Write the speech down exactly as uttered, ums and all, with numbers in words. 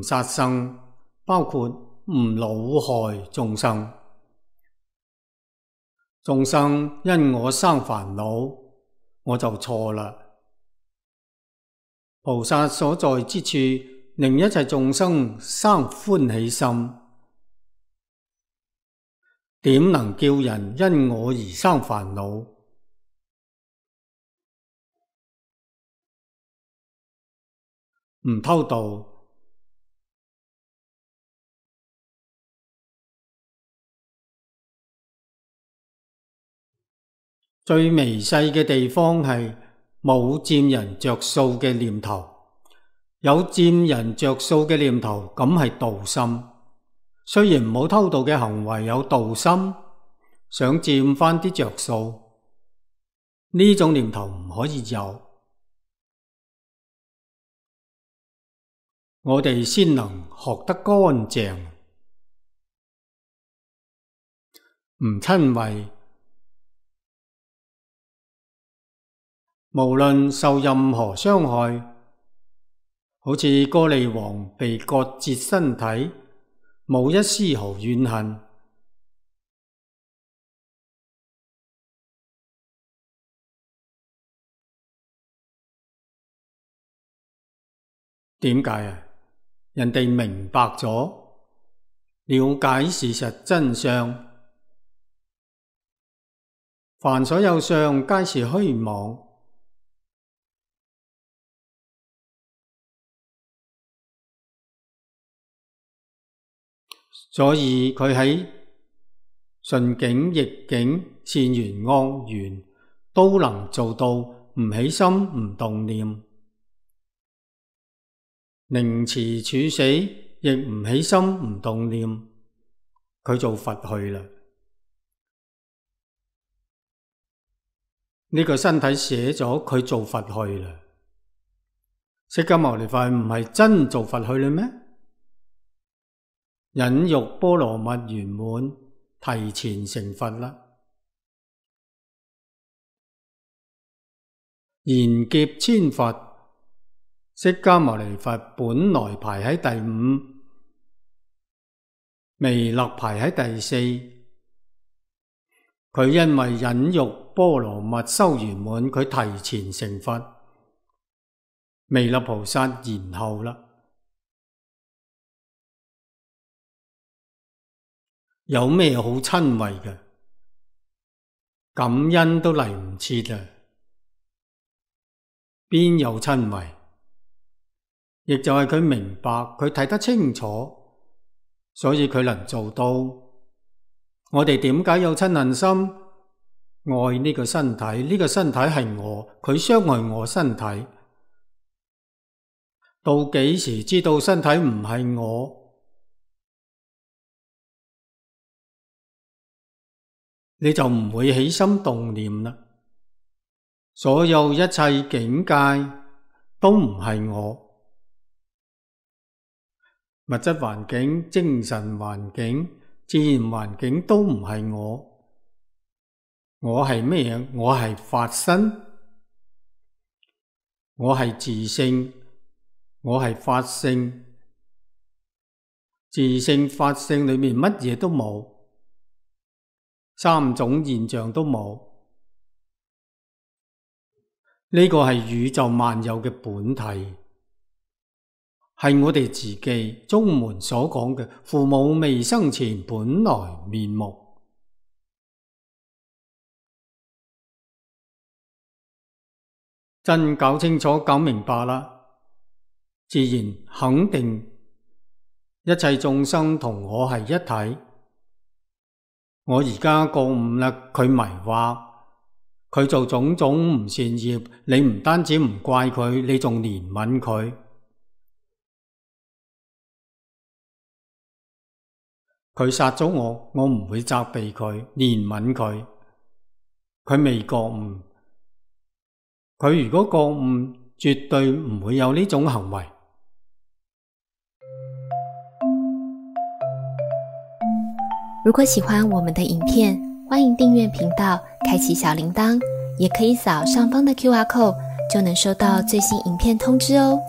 殺生，包括唔惱害眾生。眾生因我生煩惱，我就錯啦。菩薩所在之處，令一切眾生生歡喜心，點能叫人因我而生煩惱？唔偷盜，最微細嘅地方係冇佔人着數嘅念頭。有佔人着數嘅念頭，咁係盜心。雖然冇偷盜嘅行為有盜心，想佔返啲着數，呢種念頭唔可以有。我哋先能學得乾淨，唔瞋恚。無論受任何傷害，好似歌利王被割截身體，冇一絲毫怨恨。點解啊？人哋明白咗，了解事實真相，凡所有相，皆是虛妄。所以佢喺順境逆境、善緣惡緣都能做到唔起心唔動念，寧遲處死亦唔起心唔動念，佢做佛去啦。呢個身體寫咗佢做佛去啦。釋迦牟尼佛唔係真做佛去啦咩？忍辱波羅蜜圓滿，提前成佛啦。賢劫千佛，釋迦牟尼佛本來排喺第五，彌勒排喺第四。佢因為忍辱波羅蜜修圓滿，佢提前成佛。彌勒菩薩延後啦。有咩好瞋恚嘅？感恩都嚟唔切啊！邊有瞋恚？亦就係佢明白，佢睇得清楚，所以佢能做到。我哋點解有瞋恨心？愛呢個身體，呢個身體係我，佢傷害我身體。到幾時知道身體唔係我？你就唔會起心動念啦。所有一切境界都唔係我，物質環境、精神環境、自然環境都唔係我。我係咩嘢？我係法身，我係自性，我係法性。自性、法性裏面乜嘢都冇。三種現象都冇，呢個係宇宙萬有嘅本體，係我哋自己宗門所講嘅父母未生前本來面目。真搞清楚、搞明白啦，自然肯定一切眾生同我係一體。我而家覺悟啦，佢迷惑，佢做種種唔善業，你唔單止唔怪佢，你仲憐憫佢。佢殺咗我，我唔會責備佢，憐憫佢。佢未覺悟，佢如果覺悟，絕對唔會有呢種行為。如果喜歡我們的影片，歡迎訂閱頻道，開啟小鈴鐺，也可以掃上方的 Q R code，就能收到最新影片通知哦。